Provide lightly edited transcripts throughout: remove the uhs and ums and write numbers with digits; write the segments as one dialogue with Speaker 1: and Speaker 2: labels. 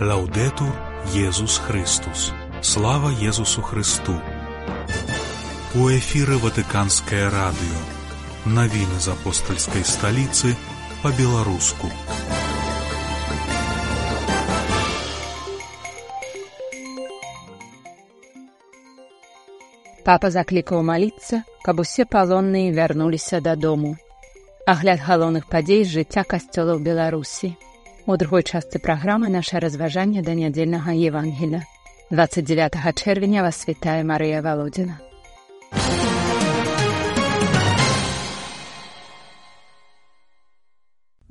Speaker 1: Лаудетур Єсус Христос. Слава Єсусу Христу. У эфире Ватиканское радио. Новины из апостольской столицы по-белорусски.
Speaker 2: Папа заклікаў маліцца, каб усе палонныя вярнуліся дадому. Агляд галоўных падзей з жыцця касцёла ў Беларусі. У другой частцы праграмы наша разважанне да нядзельнага Евангелія. 29 чэрвеня вас вітае Марыя Валодзіна.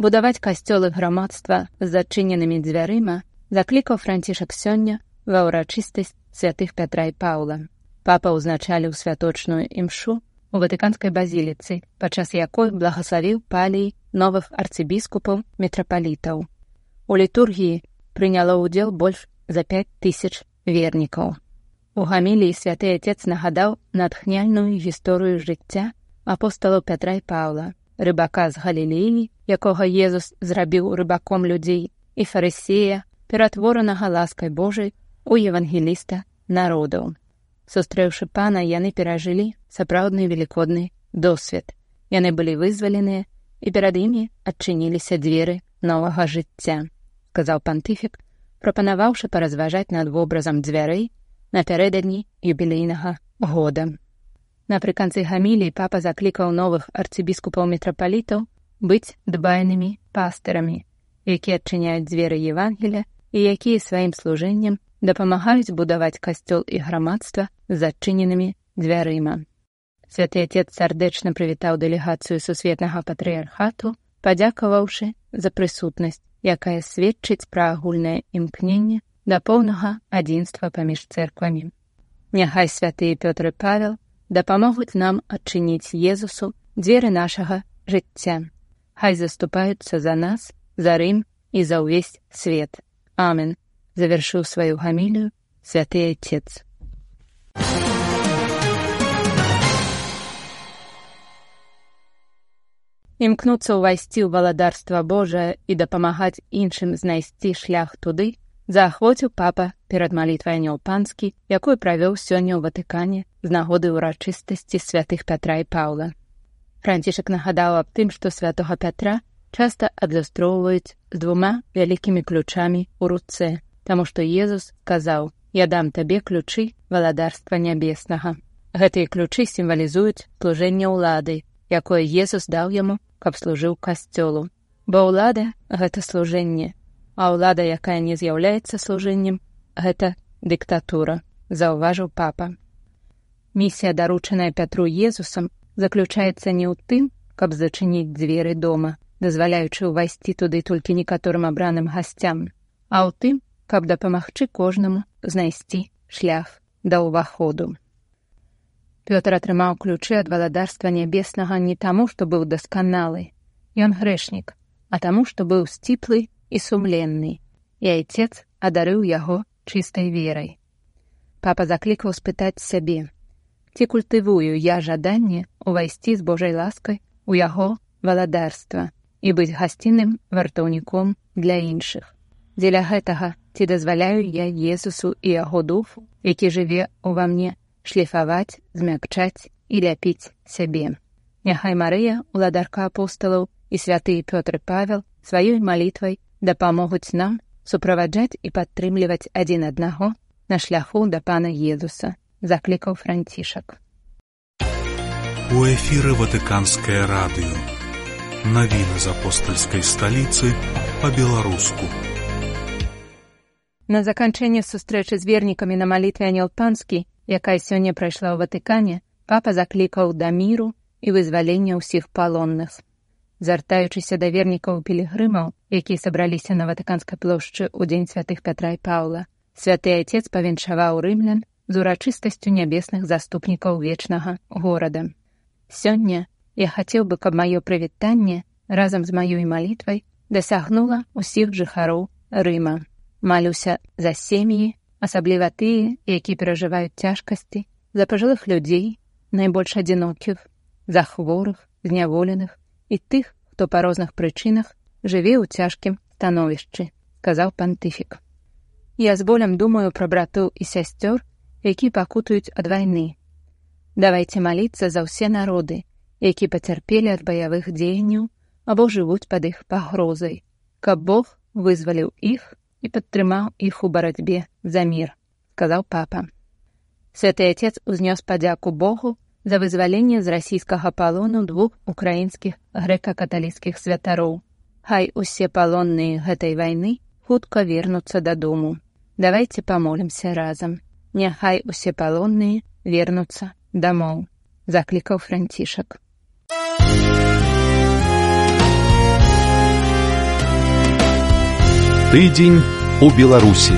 Speaker 2: Будаваць касцёлы грамадства з зачыненымі дзвярыма заклікаў Францішак сёння ва ўрачыстасць святых Пятра і Паўла. Папа ўзначаліў святочную імшу у Ватыканскай базіліцы, падчас якой благаславіў палій новых арцыбіскупаў мітрапалітаў. У літургіі прыняло ўдзел больш за 5000 вернікаў. У гаміліі святы Отец нагадаў натхняльную гісторыю жыцця апосталаў Пятра і Паўла, рыбака з Галілеі, якога Езус зрабіў рыбаком людзей, і фарысея, ператворанага ласкай Божай у евангеліста народаў. Сустрэўшы пана, яны перажылі сапраўдны велікодны досвед. Яны былі вызваленыя, і перад імі адчыніліся дзверы новага жыцця, сказаў пантыфік, прапанаваўшы паразважаць над вобразам дзвярэй напярэдадні юбілейнага года. Напрыканцы гаміліі папа заклікаў новых арцыбіскупаў-мітрапалітаў быць дбайнымі пастырамі, якія адчыняюць дзверы Евангелія і якія сваім служэннем дапамагаюць будаваць касцёл і грамадства з зачыненымі дзвярыма. Святы Отец сардэчна прывітаў дэлегацыю сусветнага патрыярхату, падзякаваўшы за прысутнасць, якая сведчыць пра агульнае імкненне да поўнага адзінства паміж цэрквамі. Няхай святыя Пётр і Павел дапамогуць нам адчыніць Езусу дзверы нашага жыцця. Хай заступаюцца за нас, за Рым і за ўвесь свет. Амен. Завершыў сваю гамілію святы Отец. Імкнуцца ўвайсці ў валадарства Божае і дапамагаць іншым знайсці шлях туды заахвоціў папа перад малітвай Анёл Панскі, якую правёў сёння ў Ватыкане з нагоды ўрачыстасці святых Пятра і Паўла. Францішак нагадаў аб тым, што святога Пятра часта адлюстроўваюць з 2 вялікімі ключамі ў руцэ, таму што Езус сказаў: «Я дам табе ключы валадарства нябеснага». Гэтыя ключы сімвалізуюць служэнне ўлады, якое Езус даў яму, каб служыў касцёлу. Бо ўлада — гэта служэнне, а ўлада, якая не з'яўляецца служэннем, гэта дыктатура, заўважыў папа. Місія, даручаная Пятру Езусам, заключаецца не ў тым, каб зачыніць дзверы дома, дазваляючы ўвайсці туды толькі некаторым абраным гасцям, а ў тым, каб дапамагчы кожнаму знайсці шлях да ўваходу. Пётр атрымаў ключы ад валадарства нябеснага не таму, што быў дасканалы, ён грэшнік, а таму, што быў сціплы і сумленны, і Отец адарыў яго чыстай верай. Папа заклікаў спытаць сябе: ці культывую я жаданне ўвайсці з Божай ласкай у яго валадарства і быць гасцінным вартаўніком для іншых? Дзеля гэтага ці дазваляю я Езусу і яго духу, які жыве ўва мне, шліфаваць, змякчаць і ляпіць сябе. Няхай Марыя, уладарка апосталаў, і святыя Пётр і Павел сваёй малітвай дапамогуць нам суправаджаць і падтрымліваць адзін аднаго на шляху да пана Езуса, заклікаў Францішак.
Speaker 1: У эфире Ватиканское радио. Новины из апостольской столицы по-белорусски.
Speaker 2: На заканчэнне сустрэчы з вернікамі на малітве Анёл Панскі, якая сёння прайшла ў Ватыкане, папа заклікаў да міру і вызвалення ўсіх палонных. Звяртаючыся да вернікаў-пілігрымаў, якія сабраліся на Ватыканскай плошчы ў дзень святых Пятра і Паўла, святы Отец павіншаваў рымлян з урачыстасцю нябесных заступнікаў вечнага горада. Сёння я хацеў бы, каб маё прывітанне разам з маёй малітвай дасягнула ўсіх жыхароў Рыма. Малюся за сем'і, асабліва тыя, якія перажываюць цяжкасці, за пажылых людзей, найбольш адзінокіх, за хворых, зняволеных і тых, хто па розных прычынах жыве ў цяжкім становішчы, сказаў пантыфік. Я з болем думаю пра братоў і сясцёр, які пакутаюць ад вайны. Давайце маліцца за ўсе народы, які пацярпелі ад баявых дзеянняў або жывуць пад іх пагрозай, каб Бог вызваліў іх і падтрымаў іх у барацьбе за мір, сказаў папа. Святы Отец узнёс падзяку Богу за вызваленне з расійскага палону 2 украінскіх грэка-каталіцкіх святароў. Хай усе палонныя гэтай вайны хутка вернуцца дадому. Давайце памолімся разам. Няхай усе палонныя вернуцца дамоў, заклікаў Францішак.
Speaker 3: Тыдзень у Беларусі.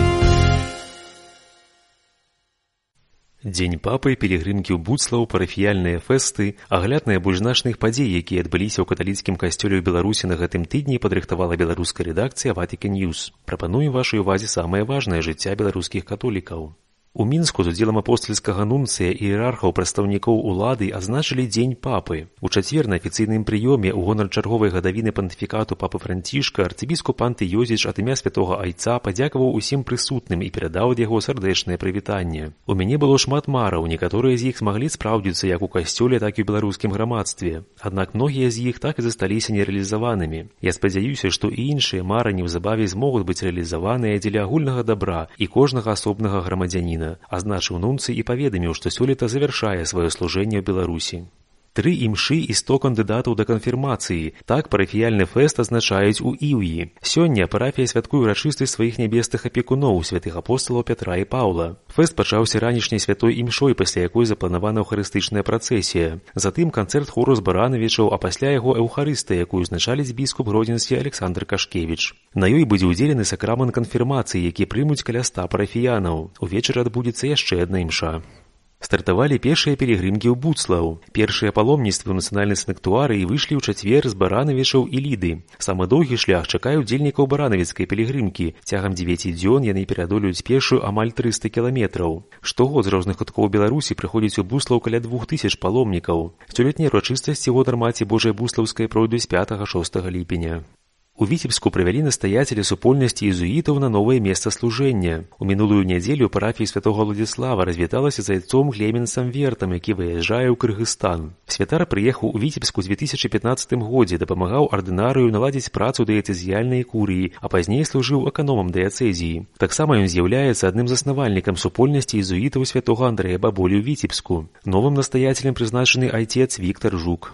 Speaker 4: Дзень папы, пілігрымкі ў Буцлаў, парафіяльныя фэсты, агляд найбольш значных падзей, якія адбыліся ў каталіцкім касцёле ў Беларусі на гэтым тыдні, падрыхтавала беларуская рэдакцыя Vatican News. Прапануем вашай увазе самае важнае жыцця беларускіх католікаў. У Мінску з удзелам апостальскага нунцыя і іерархаў прадстаўнікоў улады адзначылі дзень папы. У чацвер на афіцыйным прыёме ў гонар чарговай гадавіны пантыфікату папы Францішка арцыбіскуп Антыёзіч ад імя святога айца падзякаваў усім прысутным і перадаў ад яго сардэчнае прывітанне. У мяне было шмат мараў, некаторыя з іх змаглі спраўдзіцца як у касцёле, так і ў беларускім грамадстве. Аднак многія з іх так і засталіся нерэалізаванымі. Я спадзяюся, што і іншыя мары неўзабаве змогуць быць рэалізаваныя дзеля агульнага дабра і кожнага асобнага грамадзяніна, азначыў нунцый і паведаміў, што сёлета завяршае сваё служэнне ў Беларусі. 3 імшы і 100 кандыдатаў да канфірмацыі. Так парафіяльны фэст адзначаюць у Іўі. Сёння парафія святкуе ўрачыстасць сваіх нябесных апекуноў, святых апосталаў Пятра і Паўла. Фэст пачаўся ранішняй святой імшой, пасля якой запланавана эўхарыстычная працэсія. Затым канцэрт хору з баранавічаў, а пасля яго эўхарыстыя, якую узначаліць біскуп гродзенскі Александр Кашкевіч. На ёй будзе ўдзелены сакрамент канфірмацыі, які прымуць каля 100 парафіянаў. Увечары адбудзецца яшчэ адна імша. Стартавалі першыя пілігрымкі ў Буцлаў. Першыя паломніцтвы ў нацыянальнай санктуарыі выйшлі ў чацвер з баранавічаў і ліды. Самы доўгі шлях чакае ўдзельнікаў баранавіцкай пілігрымкі. Цягам 9 дзён яны пераадолююць пешшу амаль 300 кіламетраў. Штогод з розных куткоў Беларусі прыходзіць у Буцлаў каля 2000 паломнікаў. Сёлетнія ўрачыстасці ў гонар Маці Божай Буслаўскай пройдуць 5-6 ліпеня. У Віцебску правялі настаяцелі супольнасці езуітаў на новае месца служэння. У мінулую нядзелю парафія святога Владзіслава развіталася з айцом Клеменсам Вертам, які выязджае ў Кыргызстан. Святар прыехаў у Віцебску ў 2015 годзе, дапамагаў ардынарыю наладзіць працу дыяцэзіяльнай курыі, а пазней служыў эканомам дыяцэзіі. Таксама ён з'яўляецца адным з заснавальнікам супольнасці езуітаў святога Андрэя Баболі ў Віцебску. Новым настаяцелем прызначаны айцец Віктар Жук.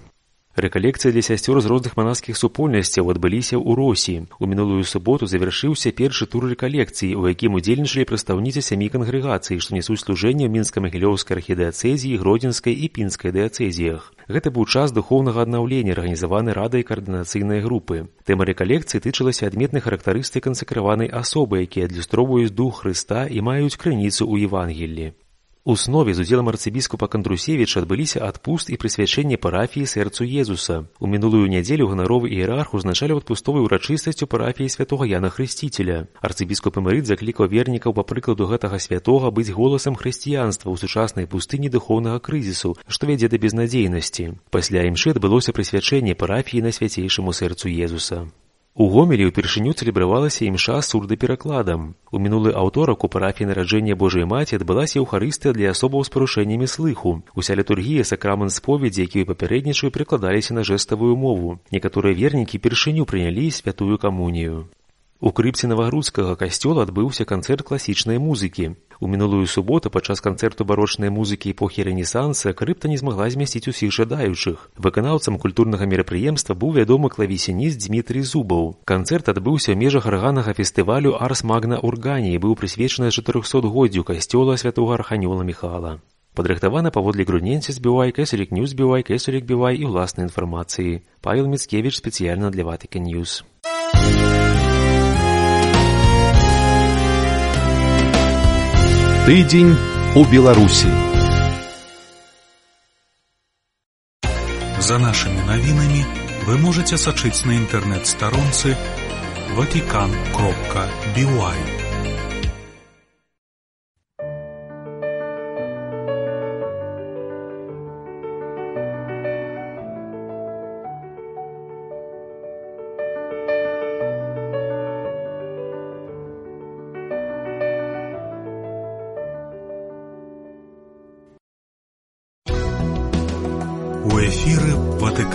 Speaker 4: Рэкалекцыі для сясцёр з розных манаскіх супольнасцяў адбыліся ў Росі. У мінулую суботу завяршыўся першы тур рэкалекцыі, у якім удзельнічалі прадстаўніцы 7 кангрэгацый, што несуць служэнне ў мінска-магілёўскай архідыяцэзіі, гродзенскай і пінскай дыяцэзіях. Гэта быў час духоўнага аднаўлення, арганізаваны радай каардынацыйнай групы. Тэма рэкалекцыі тычылася адметных характарыстык кансакраванай асобы, якія адлюстроўваюць дух Хрыста і маюць крыніцу ў Евангеллі. У снове з удзелам арцыбіскупа Кандрусевіча адбыліся адпуст і прысвячэнне парафіі сэрцу Езуса. У мінулую нядзелю ганаровы іерарх узначаліў адпустовай урачыстасцю парафіі святога Яна Хрысціцеля. Арцыбіскуп Эмерыт заклікаў вернікаў па прыкладу гэтага святога быць голасам хрысціянства ў сучаснай пустыні духоўнага крызісу, што вядзе да безнадзейнасці. Пасля імшы адбылося прысвячэнне парафіі Найсвяцейшаму сэрцу Езуса. У Гомелі ўпершыню цэлебравалася імша з сурдаперакладам. У мінулы аўторак у парафіі Нараджэння Божай Маці адбылася эўхарыстыя для асобаў з парушэннямі слыху. Уся літургія, сакрамент споведзі, якія папярэднічаю, прыкладаліся на жэставую мову. Некаторыя вернікі першыню прынялі святую камунію. У крыпце Навагрудскага касцёла адбыўся канцэрт класічнай музыкі. У мінулую суботу падчас канцэрту барочнай музыкі эпохі Рэнесанса крыпта не змагла змясціць усіх жадаючых. Выканаўцам культурнага мерапрыемства быў вядомы клавесініст Дмітрый Зубаў. Канцэрт адбыўся ў межах арганнага фестывалю Арс Магна Ургані і быў прысвечаны 400-годдзю касцёла святога арханёла Міхала. Падрыхтавана паводле грудненці збівай, Кэсалік Ньюс збівай, Кэсалік бівай і ўласнай інфармацыі. Павел Міцкевіч спецыяльна для Vatican News.
Speaker 3: Тыдзень у Беларусі.
Speaker 1: За нашымі навінамі вы можаце сачыць на інтэрнэт-старонцы vatican.by.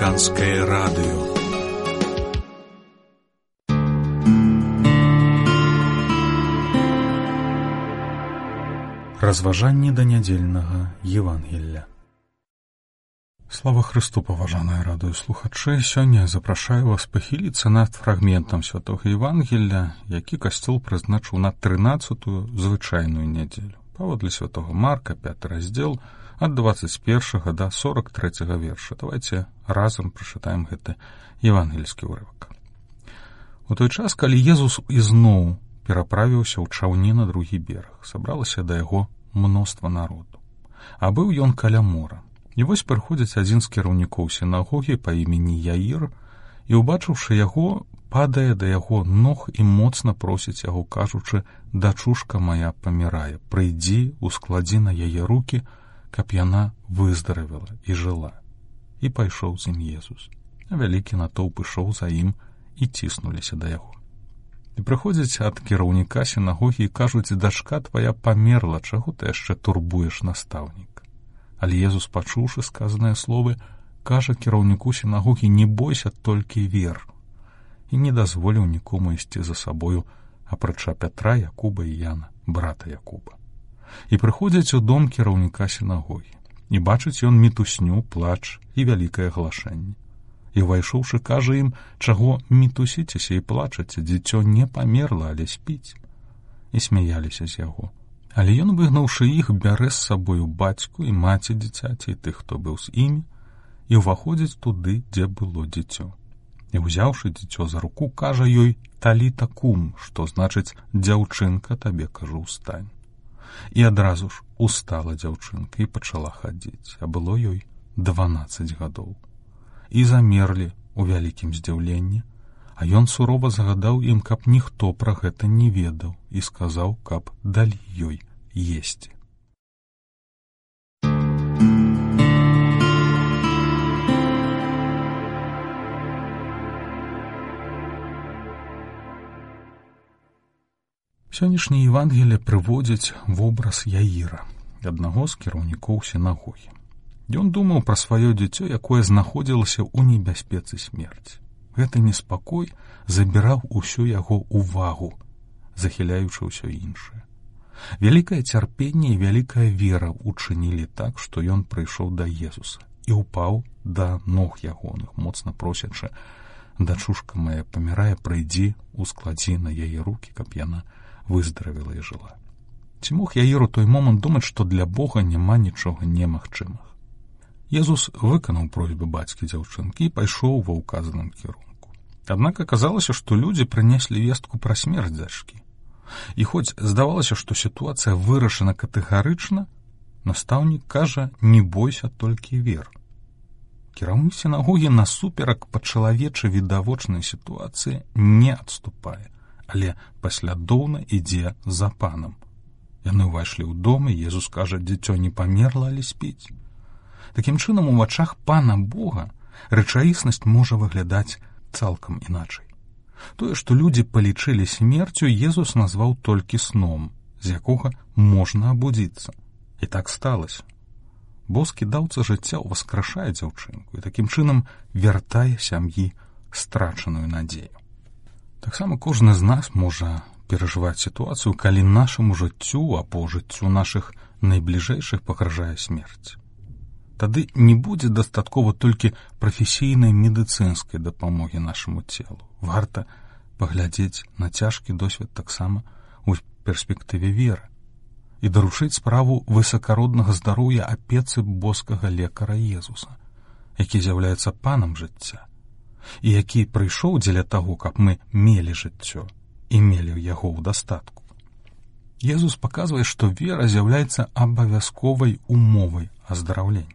Speaker 1: Ватиканское радио. Разважанні да нядзельнага Евангелля. Слава Христу, паважаныя радыёслухачы! Сёння запрашаю вас пахіліцца над фрагментам святога Евангелля, які касцёл прызначыў на 13-ю звычайную нядзелю. Паводле святога Марка, 5 раздзел, ад 21 да 43 верша. Давайте разам прачытаем гэты евангельскі ўрывак. У той час, калі Езус ізноў пераправіўся ў чаўне на другі бераг, сабралася да яго мноства народу. А быў ён каля мора. І вось прыходзіць адзін з кіраўнікоў сінагогі па імені Яір, і, убачыўшы яго, падае да яго ног і моцна просіць яго, кажучы: «Дачушка моя памірае, прыйдзі, ускладзі на яе рукі, каб яна выздаравела і жыла». І пайшоў з ім Езус. А вялікі натоўп ішоў за ім і ціснуліся да яго. І прыходзяць ад кіраўніка сінагогі і кажуць: «Дачка твая памерла, чаго ты яшчэ турбуеш настаўніка?» Але Езус, пачуўшы сказаныя словы, кажа кіраўніку сінагогі: «Не бойся, толькі вер». І не дазволіў нікому ісці за сабою, апрача Пятра, Якуба і Яна, брата Якуба. І прыходзяць у дом кіраўніка сінагогі. І бачыць ён мітусню, плач і вялікае глашэнне. І, увайшоўшы, кажа ім: «Чаго мітусіцеся і плачаце? Дзіцё не памерла, але спіць». І смяяліся з яго. Але ён, выгнаўшы іх, бярэ з сабою бацьку і маці дзіцяці і тых, хто быў з імі, і ўваходзіць туды, дзе было дзіцё. І, узяўшы дзіцё за руку, кажа ёй: «Таліта кум», што значыць: «Дзяўчынка, табе кажу, устань». І адразу ж устала дзяўчынка і пачала хадзіць, а было ёй 12 гадоў. І замерлі ў вялікім здзіўленні, а ён сурова загадаў ім, каб ніхто пра гэта не ведаў, і сказаў, каб далі ёй есці. Сённяшняе Евангелие прыводзіць вобраз Яіра, аднаго з кіраўнікоў сінагогі. Ён думаў пра сваё дзіцё, якое знаходзілася ў небяспецы смерці. Гэты неспакой забіраў усю яго ўвагу, захіляючы ўсё іншае. Вялікае цярпенне і вялікая вера учынілі так, што ён прыйшоў да Езуса і ўпаў да ног ягоных, моцна просячы: «Дачушка моя памірае, прыйдзі, ускладзі на яе рукі, каб яна выздаравела і жыла». Ці мог Яір у той момант думаць, што для Бога няма нічога немагчымага? Езус выканаў просьбы бацькі дзяўчынкі і пайшоў ва ўказаным кірунку. Аднак аказалася, што людзі прынеслі вестку пра смерць дачкі. І хоць здавалася, што сітуацыя вырашана катэгарычна, настаўнік кажа: «Не бойся, толькі вер». Кіраўнік сінагогі насуперак па-чалавечы відавочнай сітуацыі не адступае, але паслядоўна ідзе за панам. Яны ўвайшлі ў дом, і Езус кажа: «Дзіцё не памерла, але спіць». Такім чынам, у вачах Пана Бога рэчаіснасць можа выглядаць цалкам іначай. Тое, што людзі палічылі смерцю, Езус назваў толькі сном, з якога можна абудзіцца. І так сталася. Боскі даўца жыцця ўваскрашае дзяўчынку і такім чынам вяртае сям'і страчаную надзею. Таксама кожны з нас можа перажываць сітуацыю, калі нашаму жыццю або жыццю нашых найбліжэйшых пагражае смерць. Тады не будзе дастаткова толькі прафесійнай медыцынскай дапамогі нашаму целу. Варта паглядзець на цяжкі досвед таксама ў перспектыве веры і даручыць справу высакароднага здароўя апецы боскага лекара Езуса, які з'яўляецца панам жыцця і які прыйшоў дзеля таго, каб мы мелі жыццё і мелі яго ў дастатку. Езус паказвае, што вера з'яўляецца абавязковай умовай аздараўлення.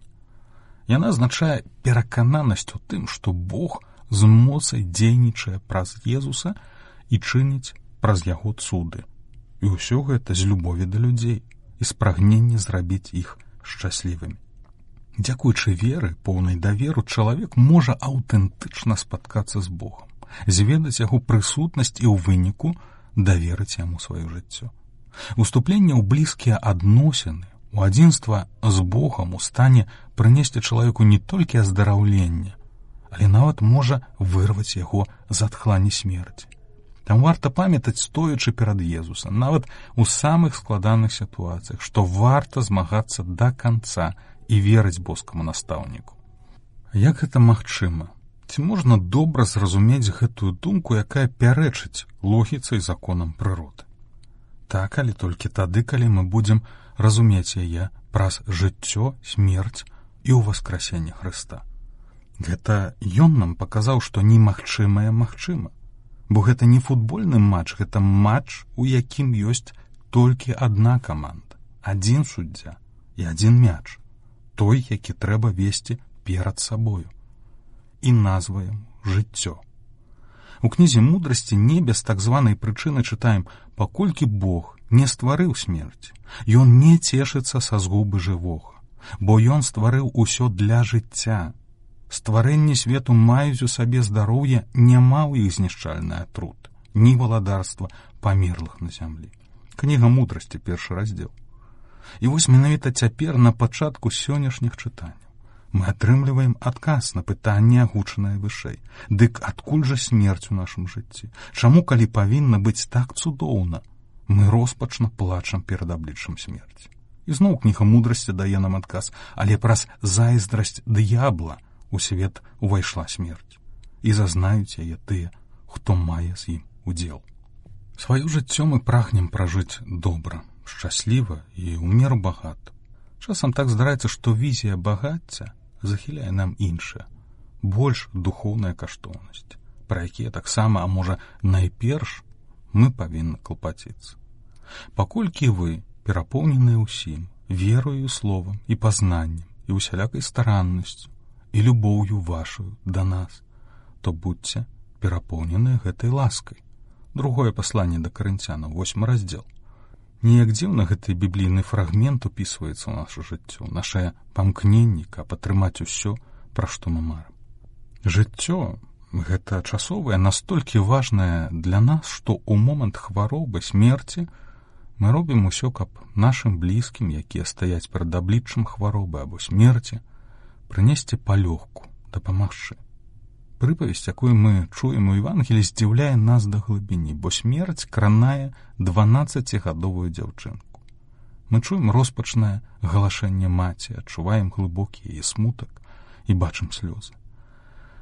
Speaker 1: Яна азначае перакананасць у тым, што Бог з моцай дзейнічае праз Езуса і чыніць праз яго цуды. І ўсё гэта з любові да людзей і з прагнення зрабіць іх шчаслівымі. Дзякуючы веры, поўнай даверу, чалавек можа аўтэнтычна спаткацца з Богам, зведаць яго прысутнасць і ў выніку даверыць яму сваё жыццё. Уступленне ў блізкія адносіны, у адзінства з Богам у стане прынесці чалавеку не толькі аздараўленне, але нават можа вырваць яго з адхлані смерці. Там варта памятаць, стоячы перад Езусам, нават у самых складаных сітуацыях, што варта змагацца да канца і верыць боскаму настаўніку. Як гэта магчыма? Ці можна добра зразумець гэтую думку, якая пярэчыць логіцы і законам прыроды? Так, але толькі тады, калі мы будзем разумець яе праз жыццё, смерць і ўваскрасенне Хрыста. Гэта ён нам паказаў, што немагчымае магчыма. Бо гэта не футбольны матч, гэта матч, у якім ёсць толькі адна каманда, адзін суддзя і адзін мяч, той, які трэба весці перад сабою. І назва яму жыццё. У кнізе мудрасці не без так званай прычыны чытаем: паколькі Бог не стварыў смерці, ён не цешыцца са згубы жывога, бо ён стварыў усё для жыцця. Стварэнні свету маюць у сабе здароўе, няма ў іх знішчальны атрут, ні валадарства памерлых на зямлі. Кніга мудрасці, 1 раздзел. І вось менавіта цяпер, на пачатку сённяшніх чытанняў, мы атрымліваем адказ на пытанне, агучанае вышэй. Дык адкуль жа смерць у нашым жыцці? Чаму, калі павінна быць так цудоўна, мы роспачна плачам перад абліччам смерці? І зноў кніга мудрасці дае нам адказ: але праз зайздрасць д'ябла у свет увайшла смерць, і зазнаюць яе тыя, хто мае з ім удзел. Сваё жыццё мы прагнем пражыць добра, шчасліва і ў меру багата. Часам так здараецца, што візія багацця захіляе нам іншае, больш духоўныя каштоўнасці, пра якія таксама, а можа, найперш мы павінны клапаціцца. Паколькі вы перапоўненыя ўсім, верою, словам і пазнаннем, і усялякай стараннасцю, і любоўю вашую да нас, то будьце перапоўненыя гэтай ласкай. Другое пасланне да Карынцянаў, 8 раздзел. Неяк дзіўна гэты біблійны фрагмент упісваецца ў нашу жыццё, нашае памкненне, каб атрымаць усё, пра што мы марым. Жыццё гэта часовае настолькі важнае для нас, што ў момант хваробы, смерці мы робім усё, каб нашым блізкім, якія стаяць перад абліччам хваробы або смерці, прынесці палёгку, дапамагчы. Прыпавесць, якую мы чуем у Евангеліі, здзіўляе нас да глыбіні, бо смерць кранае 12гадовую дзяўчынку. Мы чуем роспачнае галашэнне маці, адчуваем глыбокі яе смутак і бачым слёзы.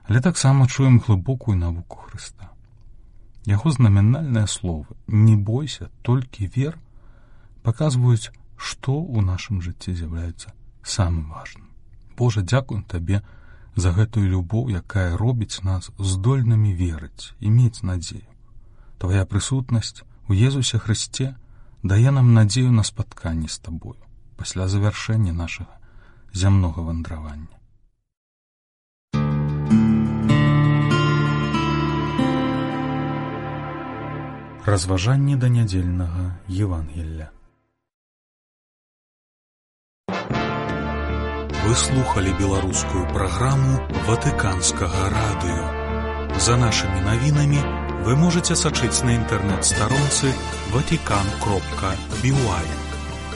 Speaker 1: Але таксама чуем глыбокую навуку Хрыста. Яго знаменальныя словы «не бойся, толькі вер» паказваюць, што ў нашым жыцці з'яўляецца самым важным. Божа, дзякуем Табе за гэтую любоў, якая робіць нас здольнымі верыць і мець надзею. Твая прысутнасць у Езусе Хрысце дае нам надзею на спатканне з Табою пасля завяршэння нашага зямнога вандравання. Разважанні да нядзельнага Евангелля. Вы слухали беларускую праграму Ватыканскага радыё. За нашымі навінамі вы можаце сачыць на інтэрнэт-старонцы vatican.by.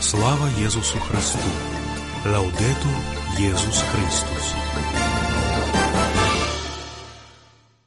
Speaker 1: Слава Езусу Христу! Лаўдэтур Езус Христус!